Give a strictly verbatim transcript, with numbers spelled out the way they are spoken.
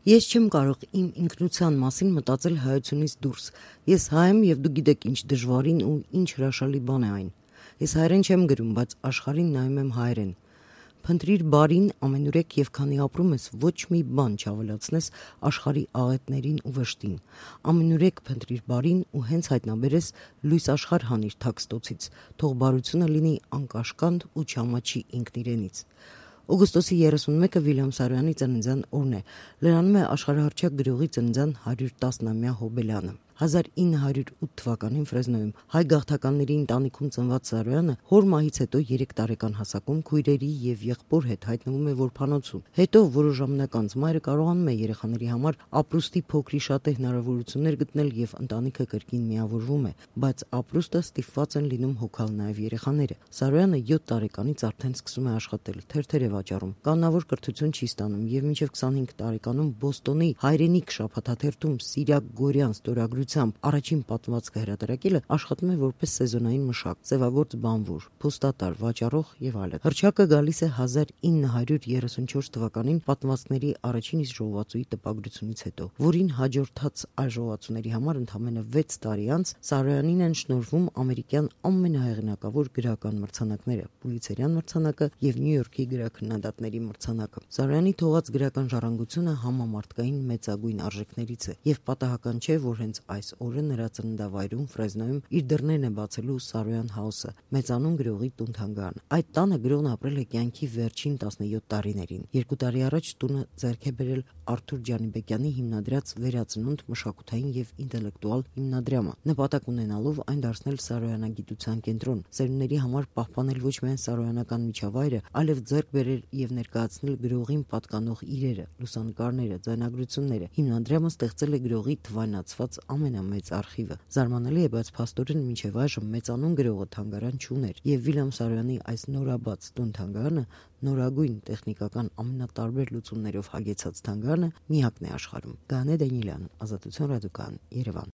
Ես չեմ կարող իմ ինքնության մասին մտածել հայությունից դուրս։ Ես հայ եմ եւ դու գիտեք ինչ դժվարին ու ինչ հրաշալի բան է այն։ Ես հայերեն չեմ գրում, բայց աշխարհին նայում եմ հայերեն։ Փնտրիր բարին ամենուրեք եւ քանի ապրում ես ոչ մի բան չավելացնես աշխարհի աղետներին ու վշտին։ Ամենուրեք փնտրիր բարին ու հենց հայտնաբերես լույս աշխարհ հանիր թաքստոցից, թող բարությունը լինի անկաշկանդ ու չամաչի ինքն իրենից։ Օգոստոսի երեսունմեկը Վիլյամ Սարոյանի ծննդյան օրն է։ Լրանում է աշխարհահռչակ գրողի ծննդյան հարյուր տասնամյա հոբելյանը։ հազար ինը հարյուր ութ թվականին Ֆրեզնոյում հայ գաղթականների ընտանիքում ծնված Սարոյանը հոր մահից հետո երեք տարեկան հասակում քույրերի եւ եղբոր հետ հայտնվում է որբանոցում։ Հետո որոշ ժամանակ անց մայրը կարողանում է երեխաների համար ապրուստի փոքրի շատ է հնարավորություններ գտնել եւ ընտանիքը կրկին միավորվում է, բայց ապրուստը ստիպված են լինում հոգալ նաեւ երեխաները։ Սարոյանը յոթ տարեկանից արդեն սկսում է աշխատել, թերթեր է վաճառում, կանոնավոր կրթություն չի ստանում եւ մինչեւ քսանհինգ տարեկանում Բոստոնի հայրենիք շաբաթաթերթում Սիրակ Գորյան ստորագրությամբ առաջին պատմվածքը հրատարակելը աշխատում է որպես սեզոնային մշակ, ձևագործ բանվոր, փոստատար, վաճառող եւ այլն։ Հռչակը գալիս է հազար ինը հարյուր երեսունչորս թվականին պատմվածքների առաջին իսկ ժողովածուի տպագրությունից հետո, որին հաջորդած այլ ժողովածուների համար ընդամենը վեց տարի անց Սարոյանին են շնորհվում ամերիկյան ամենահեղինակավոր գրական մրցանակները՝ Պուլիցերյան մրցանակը եւ Նյու Յորքի գրաքննադատների մրցանակը։ Սարոյանի թողած գրական ժառանգությունը համամարտկային մեծագույն արժեքներից է եւ պատահական չէ, որ հենց այս օրը նրա ծննդավայրում Ֆրեզնոյում իր դռներն է բացելու Սարոյան Հաուսը, մեծանուն գրողի տուն-թանգարան։ Այդ տանը գրողն ապրել է կյանքի վերջին տասնյոթ տարիներին։ Երկու տարի առաջ տունը ձեռք է բերել Արթուր Ջանիբեկյանի հիմնադրած Վերածնունդ մշակութային եւ ինտելեկտուալ հիմնադրամը, նպատակ ունենալով այն դարձնել Սարոյանագիտության կենտրոն, ծերունների համար պահպանել ոչ միայն սարոյանական միջավայրը, այլև ձեռք բերել եւ ներկայացնել գրողին պատկանող իրերը, լուսանկարները, ձայնագրությունները։ Հիմնադրամը ստեղծել է գրողի թվայնացված ամենամեծ արխիվը։ Զարմանալի է, բայց փաստորեն մինչև այժմ մեծանուն գրողը թանգարան չուներ, եւ Վիլյամ Սարոյանի այս նորաբաց տուն-թանգարանը, նորագույն տեխնիկական ամենատարբեր լուծումներով հագեցած թանգարանը միակն է աշխարհում։ Գաներ Դանիելյան, Ազատություն ռադիոկայան, Երևան։